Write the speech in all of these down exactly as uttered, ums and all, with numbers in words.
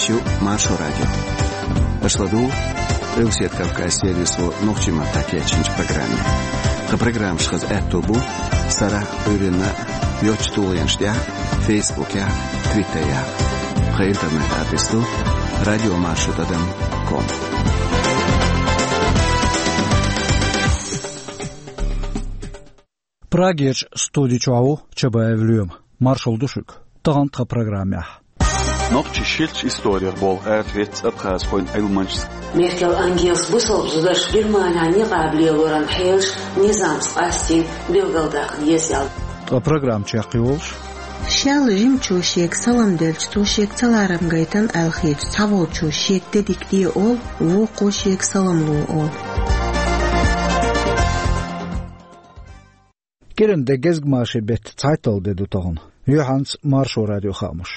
Шу Маршо радио. Аша ладугӀу Къилбаседа Кавказан сервисо нохчийн маттахь кечйинчу программе. Тхан программаш хаза аьтто бу сарахь а, Ӏуьйранна а йоцчу тулгӀенаш тӀехь а, Фейсбукехь а, Твиттерехь а. Тхан интернет-адрес ду радиомаршо тӀадам ком. Прагерчу студи чохь ву Чабаев Лоьма. Маршалла ду шуьга. Тахана тхан программехь. Нохчийн ширачу историх болх арахецна абхазхойн Ӏилманчас. Меркел Ангелас бусалба зударша Германехь никъаб лелоран хьелаш низамца къастийна билгалдаккха деза аьлла. Ткъа программа чекхйолуш. Шел жимачо шега салам делча, цо шега ца ларам гайтина аьлла хеташ, цхьаволчо шега де дика де олу, вукхо шега салам ло олу. КӀиран де гезгмашин беттан цхьайтталгӀа де ду тахана. Юьхьанца Маршо радион хаамаш.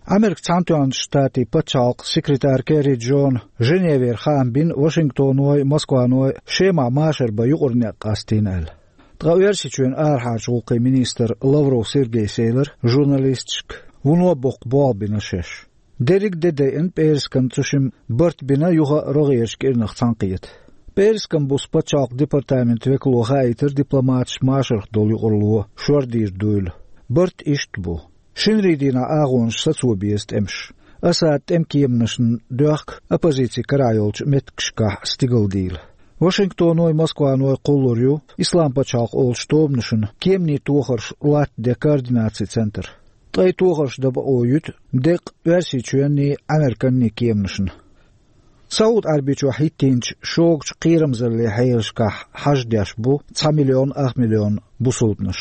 Америкин Цхьаьнатоьхначу Штатийн пачхьалкхан секретара Керри Джона Женевера хаам бина Вашингтоной, Москваной Шемахь машар бан юкъара некъ къастийна аьлла. Ткъа Оьрсийчоьнан арахьарчу гӀуллакхийн министра Лавров Сергейс элира журналисташка, вуно боккха болх бина шаьш. Дерриг а де дайина пӀераскан, цу шимма барт бина юха а рогӀерачу кӀирнах цхьаьнакхета. ПӀераскан буса пачхьалкхан департаментан векало хаийтира дипломаташ машарх долу юкъаралло шор дийр дуйла. Барт иштта бу. Шинарин дийнахь агӀонаш сацо беза тӀемаш. Асадан тӀеман кеманашна доьхку оппозици карахь йолчу меттигашкахь стигалдийла. Вашингтоной, Москваной кхуллур ю Ислам пачхьалкх олучу тобанашна кеманийн тохарш латтаде координацин центр. Ткъе тохарш дан бакъо юьту деккъа Оьрсийчоьнний, Американний кеманашна. СаӀуд-Ӏаьрбийчохь хӀиттийначу шогачу кхерамзаллин хьелашкахь хьаждеш бу цхьа миллион ах миллион бусалбанаш.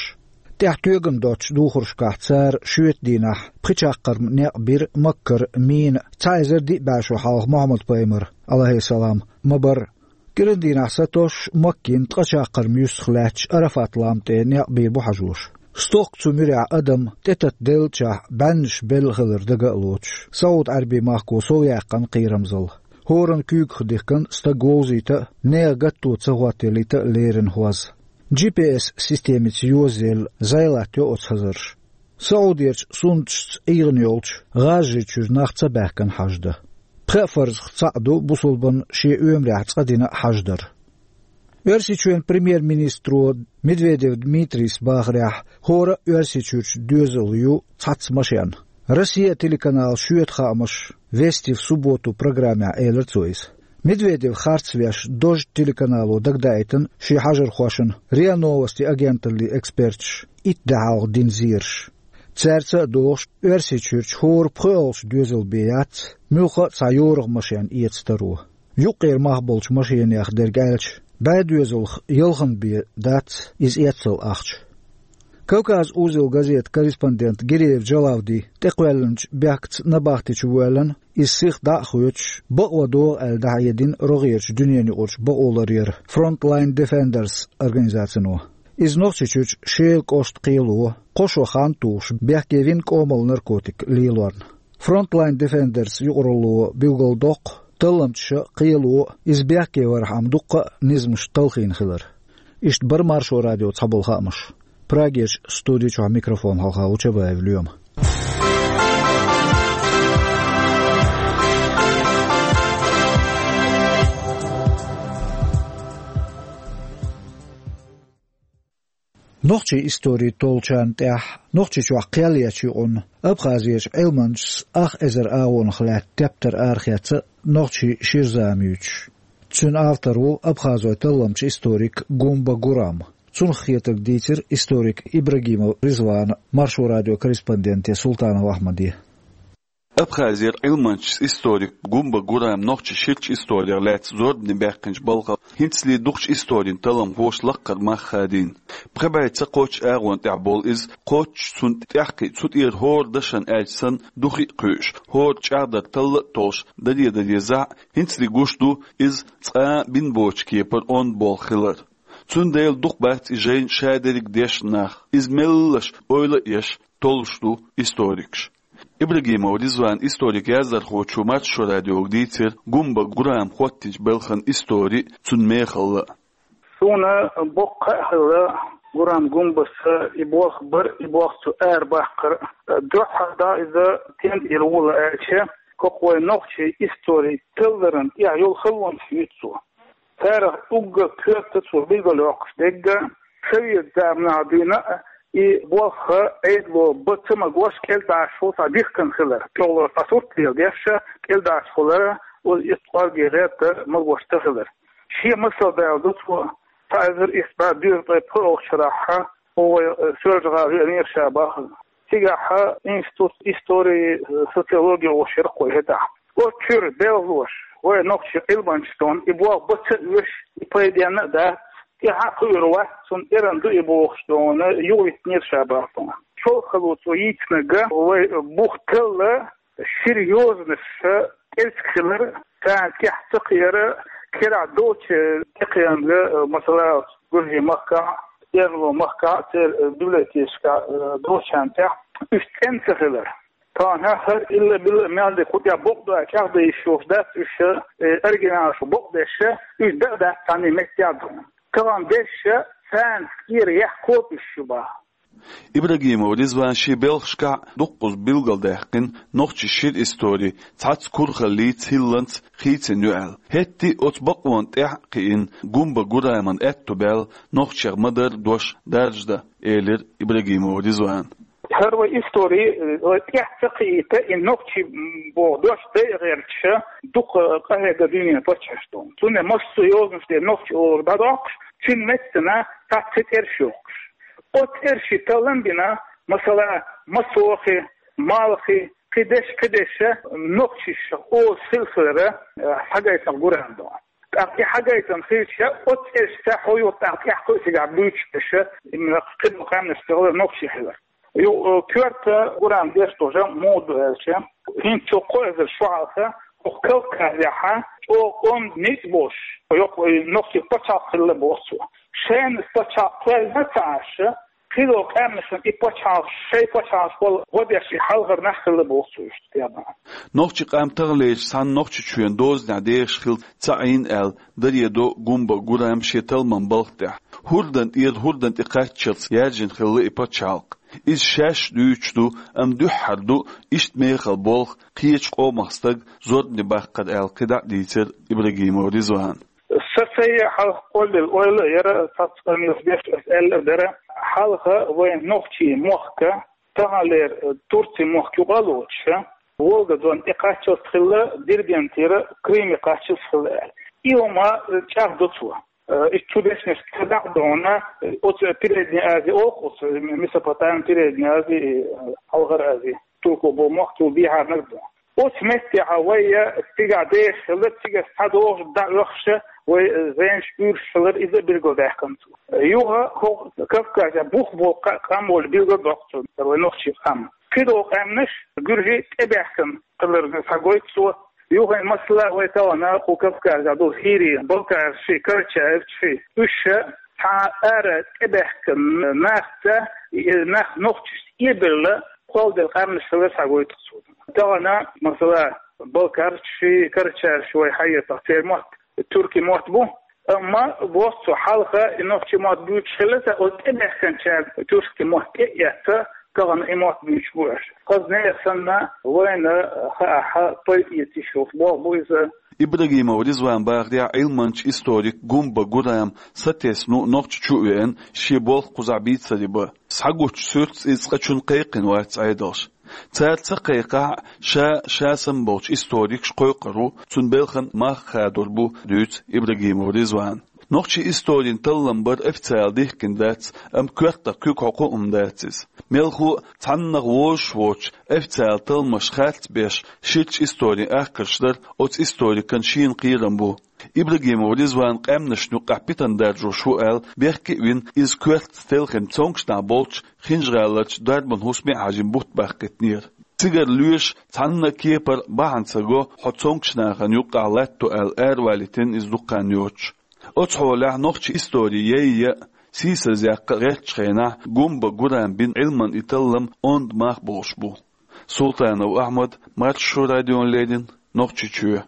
ТӀехь тоьган доцучу духаршкахь цара шоьтан дийнахь пхи чаккхарма некъ бира Маккара мина цхьа эзар диъ бӀе шо хьалха Мухьаммад-пайхамар, Ӏалайхиссалам, ма-барра. КӀиран дийнахь сатосуш Маккина ткъа чаккхарма юьстах лаьтташ Арафат-лам тӀе некъ бийр бу хьажош. Стохка цу муьрехь адам тӀетатделлачохь бӀеннаш белла хилар дага а лоцуш, СаӀуд-Ӏаьрбийн махко совъяьккхина кхерамзалла. ХӀоранна куьйгах дихкина стаг вовзийта а, нехан гатто ца хӀоттаялийта а лерина хӀоз. Джи-пи-эс системица йозаелла зӀе латтайо оцу хазарша. СаӀудерчу суннаташца ӀийгӀина йолчу ГӀажарий чуьра нах ца баьхкина хьаждан. Пхеа фарзах цхьаъ ду бусалбанна шен оьмарехь цкъа дина хьаждар. Оьрсийчоьнан премьер-министро Медведев Дмитрийс бахарехь, хӀора а Оьрсийчуьрчу доьзал ю цхьацца машен. Россия телеканалан шоьтан хаамаш «Вести в субботу» программехь элира цо иза. Медведев харц веш Дождь телеканало дагадаийтина шен хьажархошна РИА Новости агенталлин эксперташа итт де хьалха дина зераш. Цаьрца а догӀуш, Оьрсийчуьрчу хӀора пхоьалгӀачу доьзал бен яц муьлхха а цхьа йорах машен эца таро. Юккъера мах болчу машенех дерг аьлча, бӀе доьзалх ялханна бен дац иза эццал ахча. «Кавказ-Узел» газетан корреспондент Гиреев Джалавди тӀекхоьллинчу бехкаца набахти чу воьллина, иза сиха дӀа а хоьцуш, бакъо догӀу аьлла дӀахьедина рогӀерачу дуьненаюкъарчу бакъоларъяран Frontline Defenders организацино. Иза Нохчийчуьрчу Шелан кӀоштан кхело, кхо шо хан тухуш, бехке вина кӀомал наркотик лелорна. Frontline Defenders юкъаралло билгалдоккху талламчаша а, кхело а иза бехке вархьама дуккха а низамаш талхийна хилар. Иштта бара Маршо радион цхьаболу хаамаш. Прагерчу студи чохь микрофон хьалха ву Чабаев Лоьма. Нохчийн истори толлучарна тӀехь Нохчийчохь кхел ечу юкъанна Абхазерчу Ӏилманчас ах эзар агӀонах лаьтта тептар арахецна нохчийн шира зама юьйцуш. Цуьнан автор ву абхазойн талламчу историк Гумба Гурам. Цунах хетарг дийцира историк Ибрагимов Ризвана Маршо радион корреспонденте Султанов Ахьмаде. Абхазера Ӏилманчас историк Гумба Гурам нохчийн ширачу историх лаьцна зорбане баьккхинчу балхах хӀинцале дукхачу историн талламхоша лаккхара мах хадийна. Пхи бӀе ца кхоччу агӀонна тӀехь болу иза, кхоччуш цунна тӀаьхьакхиъ, цу тӀера хӀора дашан аьлча санна духи а кхуьуш, хӀора чӀагӀдар талла а толуш, даре-даре зӀе, хӀинцале гуш ду иза цкъа а бина боцучу кепара онда болх хилар. Цундела дукха бац и жайна шадерриг дешна нах, иза меллаша ойла а еш, толлуш ду историкаш. Ибрагимов Ризван историк яздархочо Маршо радиога дийцира Гумба Гурам хӀоттинчу балхан истори а, цуьнан мехалла а. Суна боккха а хилла Гурам Гумбас и болх бар, и болх цо арабаккхар. Дуьххьара иза стенна тӀера ву аьлча, кхы вай нохчийн историн талларан тӀехь йолу халонаш юьйцу цо. Царах уггар коьрта цо билгалйоккхуш дерг а, совет заманахь дуьйна а и болх Ӏедало бан ца магош кӀелдӀаш волу цхьа дихкина хилар, чӀогӀа цхьа сурт леладеш а кӀелдӀаш хилар, оцу итт кӀорге гӀерта магош ца хилар. Шен масал далийна ду цо, цхьа эзар исс бӀе доьзткъе пхоьалгӀачу шарахь, вай Соьлжа-ГӀала веанера ша бахана. Цигахь институт истории, социологии олуш яра-кх вай хӀетахь. Оцу чуьра белхалоша вай нохчийн Ӏилманчаша и болх бан ца оьшу, и пайденна а дац, тӀаьхьа а кхуьур вац, цунна эрна ду и бохуш, юхавитинера ша бахана. ЧолхахӀалла цо йийцинарг вай бух талла, шира йозанаш кӀезиг хилар, царна тӀехь ца кхиар, карахь долчу тӀекхаьнга, масала, Гуьржийн махкахь, эрна махкахь, церан библиотекашкахь долчарна тӀехь уьш цӀена ца хилар. Тахана хӀара илла-билла мел дерг кху тӀехь бакъ ду аьлла чӀагӀдан йиш йолуш дац уьш, э, оригиналаш бакъдеш, уьш дан а дац цхьанне меттехь а ду. Тахана дешша царна тӀера яхкхо уьш ю баха. Ибрагимов Ризвана шен белхашкахь дуккхаза билгалдаьккхина нохчийн шира истори цхьацца курхаллица, хӀилланца хийцина ю аьлла. ХӀетте а оцу бакъонна тӀехь а кхиъна Гумба Гураман аьтто баьлла нохчех ма-дарра дош даржадан, элира Ибрагимов Ризвана. ХӀара вай истори, э, вай тӀехь ца кхиийта, и нохчий, м, боху дош дай а гӀерташ, дукха къахьегна дуьненан паччахьашна. Цундела массо а йозанаш тӀе нохчи олура дӀадоккхуш, цуьнан меттана цхьацца цӀераш йохкуш. Оцу цӀерийн таллам бина, масала, Масохи, Малхи, кхидерш, кхидерш, нохчаша олуш хилла хилар, э, схьагайтина Гурам доху. ТӀаккха и схьагайтина хилча, оцу цӀерашца хьо юха тӀаккха тӀехь кхуьу цигахь буьйцуш берш, именно кхидолу къаьмнаш тӀехула нохчий хилар. Ю, э, коьрта Гурам деш долу жамӀ муха ду аьлча, хӀинца цу кхо эзар шо хьалха, хӀокху Кавказехь чӀогӀа онда ницкъ болуш, йоккха, э, нохчийн пачхьалкх хилла боху цо. Шайна пачхьалкх кхоьллина ца Ӏаш, кхидолу къаьмнашна и пачхьалкхаш, шайн пачхьалкхаш болу гӀо деш и хьалхара нах хилла боху цо иштта тӀебан. Нохчийн къам таханлерчу цхьана Нохчийчоьнан дозанехь дехаш хилла ца Ӏийна аьлла, даре до Гумба Гурам шен талламан балха тӀехь. ХӀордан тӀера хӀордан тӀе кхаччалц яьржина хилла и пачхьалкх. Иза шаьш дуьйцуш ду, амма дуьххьара ду иштта мехала болх кхечу къомах стаг зорбане баккхар аьлла кхидӀа а дийцира Ибрагимов Ризвана. Сан сай хьалха кхоллаелла ойла а яра, цхьацца къамелаш беш аса аьлла а дара, хьалха вайн нохчийн мохк, таханлера Турцин мохк юкъа а лоцуш, Волга-Дон тӀе кхаччалц хилла, Дербентера Крыме кхаччалц хилла аьлла. И хӀума чӀагӀдо цо. Э, и цу дешнашца дӀа а догӀна, оцу Передняя Азия олу оцу, Месопотамия, Передняя Азия, э, Хьалхара Азия, турко бо мохк цул дехьарниг ду. Оцу меттехь вай цигахь дехаш хилла, цигахь схьадогӀуш, дӀаоьхуш, вай зенаш, уьйраш хилар, иза а билгалдаьккхина цо. Юха хӀокху Кавказехь бух болу кха-, къам волу билгалдоккху цо, вай нохчийн къам. Кхидолу къаьмнаш гуьржий тӀебаьхкина хилар схьагойту цо. Юха, масала, вай тахана кху Кавказехь долу хӀирий, балкарший, карачаевцаший, уьш цхьа ара тӀебаьхкина нахаца, и нах нохчашца эбелла, кхолладелла къаьмнаш хилар схьагойту цо. Тахана, масала, балкарший, карачаевцаший вай хьаэцахь, церан мотт туркийн мотт бу, амма боху цо, хьалха и нохчийн мотт буьйцуш хилла ца, оцу тӀебаьхкинчара туркийн мотт тӀе а эцна, тахана и мотт буьйцуш бу аьлла. Хаза нехан санна, вайна хаахь, пайда эца йиш йолуш болх бу иза. Ибрагимов Ризвана бахарехь, Ӏилманча, историк Гумба Гурам сатесна ву Нохчийчу а веана, шен болх кхузахь бийцаре бан. Схьагучу суьртаца иза цкъачунна кхайкхина вац Ӏедалша. Цара ца кхайкхахь а, ша, ша санна болчу историкаш кхойкхур ву, цунна белхан мах хадор бу, дуьйцу Ибрагимов Ризвана. Нохчийн историн таллам бар официалан дихкина дац, амма коьртах куьг хьокху а хӀума дац иза. Мелхо а, цхьаннах вовзаш воцуш, официалан талламаш харц беш, ширачу историн ахкарш дар оцу историкан шена кхерам бу. Ибрагимов Ризвана къаьмнашна юккъехь питана даржош ву аьлла, бехке а вина, иза коьртаца телхина цомгуш нах болчу ХӀинжа-ГӀаларчу дарбан хӀусаме а хьажийна бутт баккхийтинера. Цигара лоьша цхьанна а кепара бахьана ца го хьо цомгуш нахана юккъехь латто аьлла, аравалийтина иза дукха хан йоцуш. Оцу хьолехь нохчийн истори яйъа а, сийсазъяккха а гӀертачу хенахь Гумба Гурама бина Ӏилманан и таллам онда мах болуш бу. Султанов Ахьмад, Маршо радиона леррина, Нохчийчоь.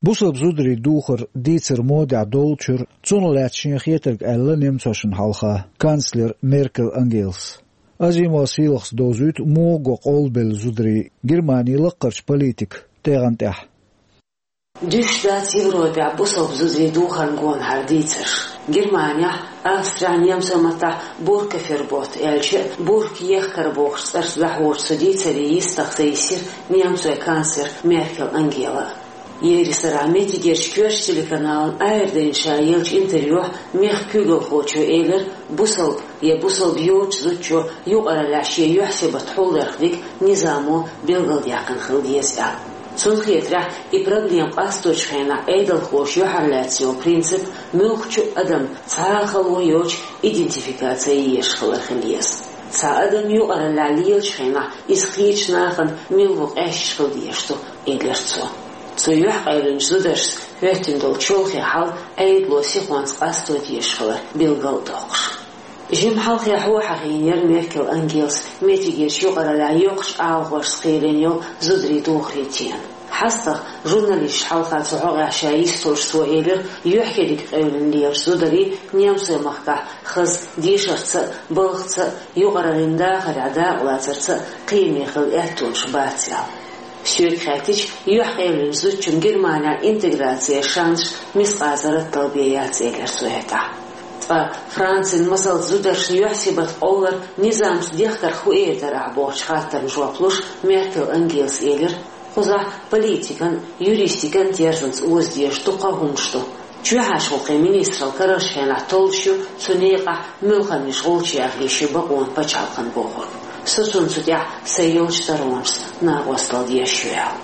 Бусалба зударийн духар дийцар модехь доллучуьра, цунах лаьцна шена хетарг аьлла немцошна хьалха канцлер Меркель Ангелас. Азимова Сийлахьас довзуьйту муха го къовлабелла зударий Германин лаккхарчу политикан. тӀегӀан тӀехь. Дуьсуш дац Европехь бусалба зударийн духарна гонахьара дийцарш. Германехь, Австрехь, немцойн маттахь Буркафербот аьлча а, бурка ехкар бохучу цӀарца дӀахьочу цу дийцаре йистах ца йисира немцойн канцлер Меркел Ангела. Ерриг сарахь меттигерчу коьртачу телеканална Ӏер дайна ша еллачу интервьюхь мехкан куьйгалхочо элира, бусалба я бусалба йоцучу зудчо юкъараллехь шен юьхь-сибат хьулдарх дерг низамо билгалдаьккхина хила деза аьлла. Цунна хетарехь, и проблема къасточу хенахь Ӏедалхоша юьхьарлаьцна йолу принцип муьлххачу а адамна цхьа а хало йоцуш идентификаци езаш хилар хила еза. Цхьа адам юкъараллехь лелачу хенахь иза кхечу нахана мила ву къаьсташ хила дезаш ду, элира цо. Цу юьхькъевлинчу зударшца хӀоьттина долу чолхе хьал Ӏедало сихонца къасто дезаш хилар билгал а доккхуш. Жимма хьалхе хьахийна яра Меркел Ангелас меттигерчу юкъараллехь йоккхачу агӀонашца кхийлина йолу зударийн духарийн тема. ХьастагӀа журналисташна хьалха цу хьокъехь ша йисталуш цо элира, юьхькериг къевлина лелачу зударийн немцойн махкахь хаза дешарца а, балхаца а, юкъараллин дахарехь дакъалацарца а кхиаме хила аьттонаш бац аьлла. Соьга хаьттича, юьхькъевлинчу зудчун Германехь интеграцин шансаш мискъазарратал бен яц, элира цо хӀетахь. Ткъа Францин масалца зударшна юьхь-сибат къовлар низамца дехкарх хӀун эр дара ахь бохучу хаттарна жоп луш, Меркел Ангелас элира, кхузахь политикан, юристикан терзанца оза дезаш дуккха а хӀуманаш ду. Чоьхьарчу гӀуллакхийн министралла карарчу хенахь толлуш ю цу некъахь муьлханнаш гӀулчаш яха йиш ю бакъонан пачхьалкхана бохург. Со цунна цу тӀехь сайн йолчу таронашца накъосталла дезаш ю аьлла.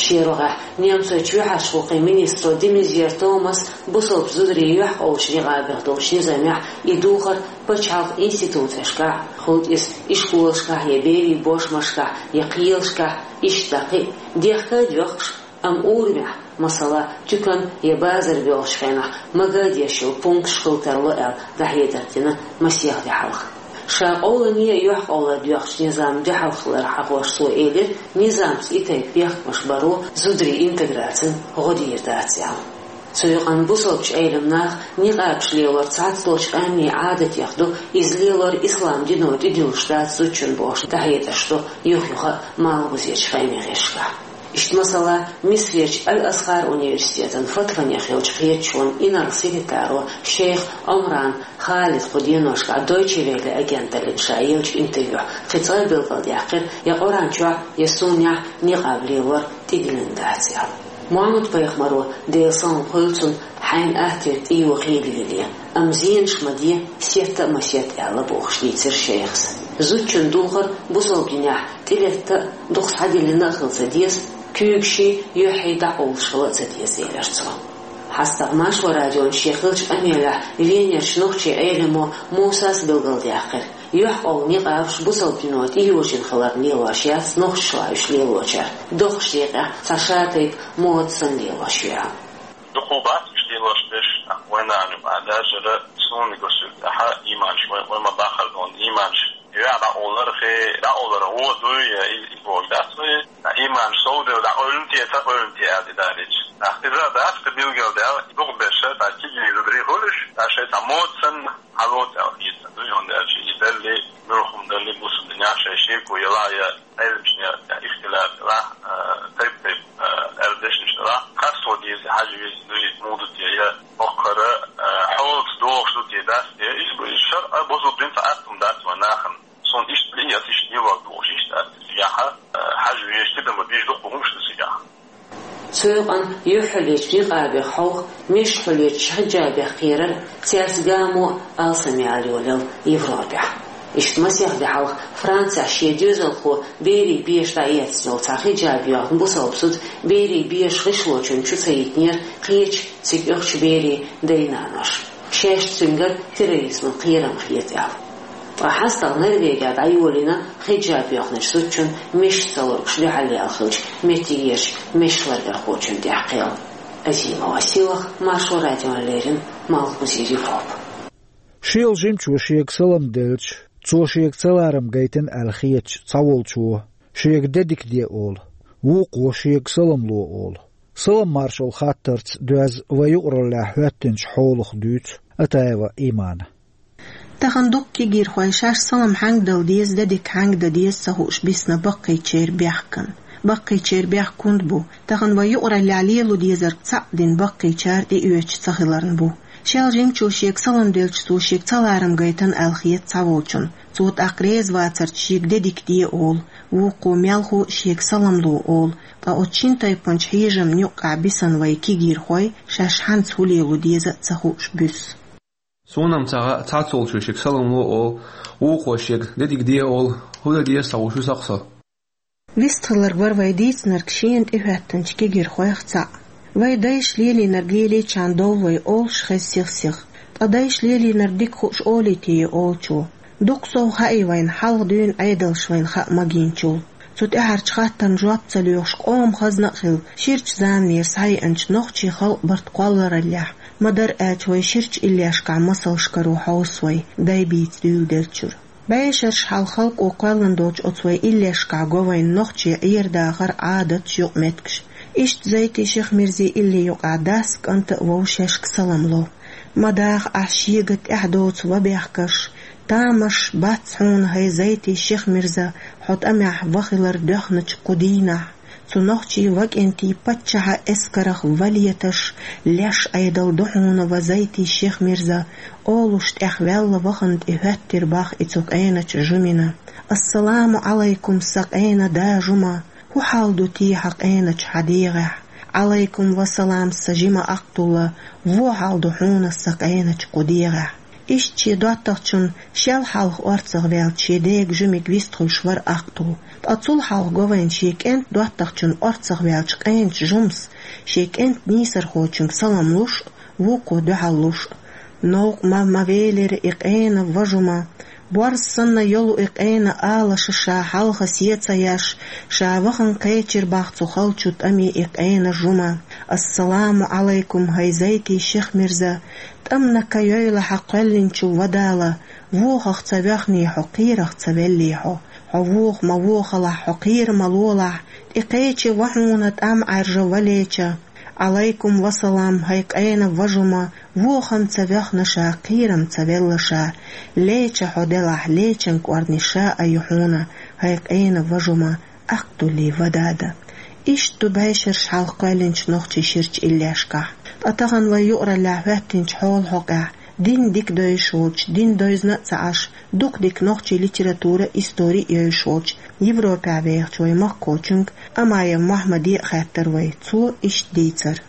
Шен рогӀехь немцойн чоьхьарчу гӀуллакхийн министро де Мезьер Томаса бусалба зударийн юьхькъовлучу некъабех долчу низамехь и духар пачхьалкхан институцешкахь, хӀунда иза ишколашкахь я берийн бошмашкахь я кхелашкахь, иштта дӀа кхин а, дехка а доьхкуш, амма урамехь, масала, туькан я базар боьлхучу хенахь, мага а деш йолу пункташ хила тарло аьлла, дӀахьедар дина масех де хьалха. Ша къовлане а, юьхькъовлар доьхначу низамна дуьхьал хилар хьахош цо элира, низамца и тайпа бехкамаш баро зударийн интеграцина гӀо дийр дац аьлла. Цу юкъанна бусалбачу Ӏелам наха никъабаш лелор цхьацдолчу къаьмнийн Ӏадатех ду, иза лелор ислам дино тӀедуьллуш дац зудчун бохуш дӀахьедарш ду юх-юха а малхбузерчу къаьмнийн гӀирсашкахь. Иштта, масала, Мисрерчу Аль-Азхар университетан фатванех йолчу кхеташонан инарла секретаро шейх Омран Халида кху деношкахь Дойче Велле агенталлина ша еллачу интервьюхь кхин цкъа а билгалдаьккхира, я Къуръан чохь, я суннехь никъаб лелор тӀедиллина дац аьлла. Мухьаммад-пайхамаро, Делан салам хуьлда цунна, хьайна аттера тӀейогӀу хийла лело, амма зенаш ма де, сетта а ма сетта аьлла бохуш дийцира шейхас. Зудчун духар бусалба динехь тӀелетта а, дукха схьадиллина а хила ца деза, куьйгашший, юьххьий дӀакъовлуш хила а ца деза, элира цо. ХьастагӀа Маршо радиона шен хиллачу къамелехь Венерчу нохчийн Ӏелимо Мусас билгалдаьккхира, юьхькъовла никъабаш бусалба дино тӀейожийна хиларна лелош яц нохчашлахь уьш лелочара, доккхачу декъехь цхьа шатайпа мода санна лелош ю аьлла. Дукха бац уьш лелош берш, вайн нана юкъахь даьржира, суна гусуьйтахьа, ийманаш вай, вай ма бахара дона, ийманаш. Юьхь дӀакъовлар хе, дӀакъовлар гӀо дуй, я и, и боху дац вай. Ийманаш совдевлла дӀакъевлина те, ца къевлина те аьлла, и далийча. Иза дац, кхин билгалдаьлла, дукха берш, цхьа кегий зударий хуьлуш, цхьа шайн цхьа мода санна, хьалоцу аьлла хета ду, хӀунда аьлча и далли, муьлхха далли, бусалба динехь шайн шеко ялахь я, Ӏеламчунна я ихтилат делахь, а, тайп-тайпа, а, аьлла дешнаш делахь, къасто деза, хьажа веза дуй, муха ду те я, хӀокхара, а, хьолаца догӀуш ду те, дац те, иза бу, иза шарӀан, бусалба динан цхьа атта хӀума дац вайн нахана. Суна иштта лиъ яц, иштта лелор ду уьш, иштта дац. Цигахь, а, хьажа везаш, тидам бан безаш дукха хӀумаш ду цигахь. Цу юкъанна юьххьарлечу никъабех хьовха, мешахьарлечу хиджабех кхерар, цаьрца гамо а алсамъяла йолаелла Европехь. Иштта масех де хьалха Францехь шен доьзалхо берийн беша дӀаэцна йолу цхьа хиджаб йоьхна бусалба зуда берийн бешан гӀишлочунна чу ца йитинера кхечу цига оьхучу берийн дай-наноша, шаьш цуьнгара терроризман кхерам хета аьлла. Ткъа хьастагӀа Норвегехь дӀайолийна хиджаб йоьхначу зудчун мешан ца лоргуш дуьхьал яьлла хиллачу меттигерчу мешан лардархочун тӀехь кхел. Азимова Силах, Маршо радиона леррина, Малхбузера Европа. Шел жимчо шега салам делча, цо шега ца ларам гайтина аьлла хетачу цхьаволчо шега де дика де олу, вукхо шега салам ло олу. Салам-маршалла хаттарца доьзна вай юкъараллехь хӀоьттинчу хьолах дуьйцу Атаева Имана. Тахана дуккха кегийрхой шаьш салам хьаьнга дала деза, де дика хьаьнга дан деза ца хууш бисна баккхийчеран бехкана. Баккхийчеран бехк хӀунда бу? Тахан вай юкъараллехь лело дезарг цхьаъ дина баккхийчара тӀеоьцуш ца хиларна бу. Шел жимчо шега салам делча, цо шега ца ларам гайтина аьлла хета цхьаволчунна. Цо тӀаккха реза вацарца шега де дика де олу, вукхо мелхо а шега салам ло олу, ткъа оцу шина тайпанчу хьежамна юккъехь бисина вай кегийрхой шаьш хьанца хӀун лело деза а ца хууш буьсу. Суна-м ца хаьа, цхьаццолчо шега салам ло олу, вукхо шега де дика де олу, хӀун дан деза цхьа вуьсу сакъ со. Вистхиларг вара вай дийцинарг шена тӀехӀоьттинчу кегийрхойх цхьаъ. Вай дайша лелийнарг лелийчарна довла вай олуш хеза сих-сиха. Ткъа дайша лелийнарг дика хууш олуьйтий олучо? Дукха сов хаьий вайна хьалха дуьйна Ӏедалша вайна хаа магийначул? Цу тӀаьхьарчу хаттарна жоп ца лоьхуш, къоман хазна а хилла, ширачу заманера схьаеанчу нохчийн халкъан барт кхоллараллехь, ма-дарра аьлча, вай ширачу иллешкахь масалш каро хьовса вай, дай бийца дуьйладеллачуьра. БӀешераш хьалха халкъо кхоьллина долчу оцу вай иллешкахь го вайна нохчийн Ӏер-дахар, Ӏадаташ, юкъаметтигаш. Иштта Зайтин Шихмирзин илли юкъахь дас а, кӀант а вовшашка салам ло. Ма даха ахь шега тӀаьхьа доцу ва бехкарш, тамаш бац хьуна, хӀай Зайтин Шихмирза, хьо тӀамехь ва хилар доьхначу кху дийнахь. Цу нохчийн ва кӀентийн паччахьан эскарах ва леташ, леш Ӏедал ду хьуна, ва Зайтин Шихмирза, олуш тӀехваьлла вахана тӀехӀоьттира боху и цу къеначу жумина. Ассаламу Ӏалайкум, сан къена да жума! ХӀун хьал ду те хьан къеначу хьан дегӀехь? Ӏалайкум ва салам, сан жима Ахтулла, вон хьал ду хьуна сан къеначу кху дегӀехь? Иштта шен доттагӀчунна шел хьалха орцахваьллачу шен дега жимиг вистхуьлуш вара Ахтулла. Ткъа цул хьалха го вайна шен кӀентан доттагӀчунна орцахваьллачу къеначу жумас, шен кӀентан нийсархочуьнга салам луш а, вукхо дуьхьал луш а. Новкъа ма, ма велира и къена ва жума. Борз санна йолу и къена алаша ша хьалха сецаяш, ша вахана кхечира боху цу халчу тӀаме и къена жума. Ассаламу Ӏалайкум, хӀай Зайтин Шихмирза! ТӀамна ка йойла хьан кхоьллинчу ва Дала, вохах ца воьхний хьо, кхерах ца веллий хьо. Хьо воха ма вохалахь, хьо кхера ма лолахь, тӀекхечи ва хьуна тӀам Ӏаьржа ва леча. Ӏалайкум ва салам, хӀай къена ва жума, вохам ца воьхна ша, кхерам ца велла ша. Леча хьо делахь, лечан кӀорни ша а ю хьуна, хӀай къена ва жума, Ахтуллин ва дада. Иштта ду бӀешераш хьалха кхоьллинчу нохчийн ширачу иллешкахь. Ткъа тахана вай юкъараллехь хӀоьттинчу хьолан хьокъехь, дин дика девзаш волчу, дин девзина а ца Ӏаш, дукха дика нохчийн литература а, истори а евзаш волчу, Европехь вехачу вай махкахочуьнга, Амаев Мохьмаде а хаьттира вай, цо иштта дийцира.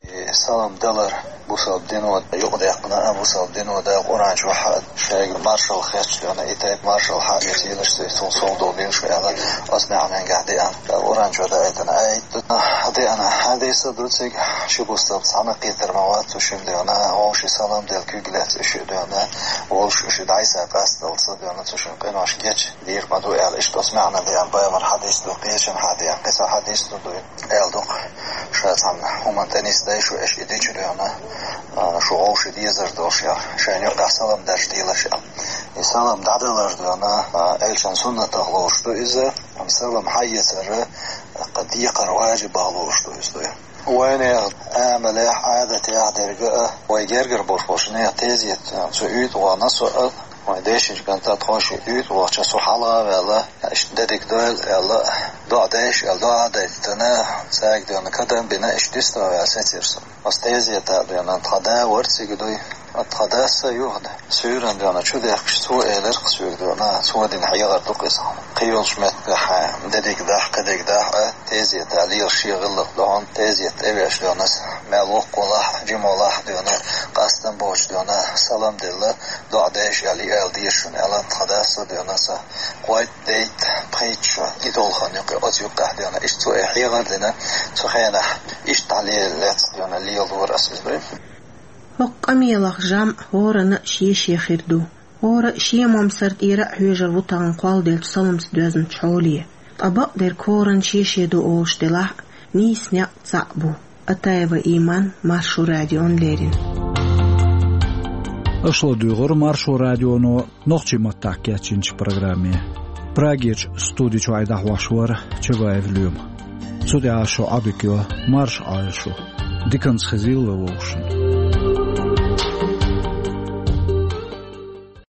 И салам далар бусалба дино юкъадаьккхина а, бусалба дино Дала Къуръан чохь а шайга маршалла хеташ дена, и тайпа маршалла хьа а эца йилаш, цул сов долу динаш аьлла, оцу маьӀненгахь деана. Къуръан чохь даийтина аят ду, деана хьадис а ду цига, ши бусалба цхьаьна кхетар ма вац цу шимма дена, вовшийн салам дала куьг лаьцна уьш а дена, вовшийн уьш дӀасса къасталла ца дена, цу шимма къинош гечдийр ма ду аьлла, иштта оцу маьӀна деана, пайхамар хьадис ду, кхечан хьадис, кхин цхьа хьадис ду дуй. Аьлла ду-кх, ша цхьана хӀуманна тӀе нисдайша, аша и дича дуьйна, а, шу вовшийн дезар долуш яра, шайна юкъахь салам даржа дийлаш яра. И салам дӀадалар дуьйна, а, элчан суннатах лоруш ду иза, амма салам хьаэцар кху декхар важибах лоруш ду иза дуй. Вайнехан амалехь, Ӏадатехь дерг а, вай гергара болуш болчу нехан тезет, а, цу уьйтӀа вахана со а, вайн дешинчу кӀанта тхо ши уьйтӀа вахча со хьала а ваьлла, иштта дерриг дойла аьлла, доӀа дайша аьлла, доӀа а дайтина, цаьрга дуьйна кадам а бина, иштта дистагӀа ваьлла сецира со. Аса тезета а дуьйна тхан да вара цига дуй, тхан дас а юха суьйранна дуьйна чу дехкаш, цо элира-кх соьга дуьйна, цо дина хьехар ду-кх иза. Кхийолчу меттехь дерриг дахь, кхидерг дахь а, тезета лела шен гӀиллакх ду хьуна, тезета тӀевеш дуьйна аса, мел воккха волахь а, жима волахь а дуьйна, къастам боцуш дуьйна, салам делла, доӀа дайша аьлла, и ала деза шуна аьлла, тхан дас а дуьйна аса, кхойтта, дейтта, пхийтта шо и долу хан юкъа, оцу юккъехь дуьйна, иштта цо и хьехар дина, цу хенахь иштта дӀалела лаьцна дуьйна, лелора аса иза дуй. ХӀокху къамелах жамӀ хӀоранна а шен-шен хир ду. ХӀора а шен момсар тӀера а хьоьжур ву тахана кхолладеллачу саламца доьзначу хьоле. Ткъа бакъдерг хӀоранна шен-шен ду олуш делахь а, нийса некъ цхьаъ бу. Атаева Иман, Маршо радиона леррина. Аша ладуьйгӀира Маршо радионо нохчийн маттахь кечйинчу программе. Прагерчу студи чуьра дӀахьош вара Чабаев Лоьма. Цу тӀехь шун Ӏодика йо, марша Ӏойла шу. Диканца хезийла вовшашна.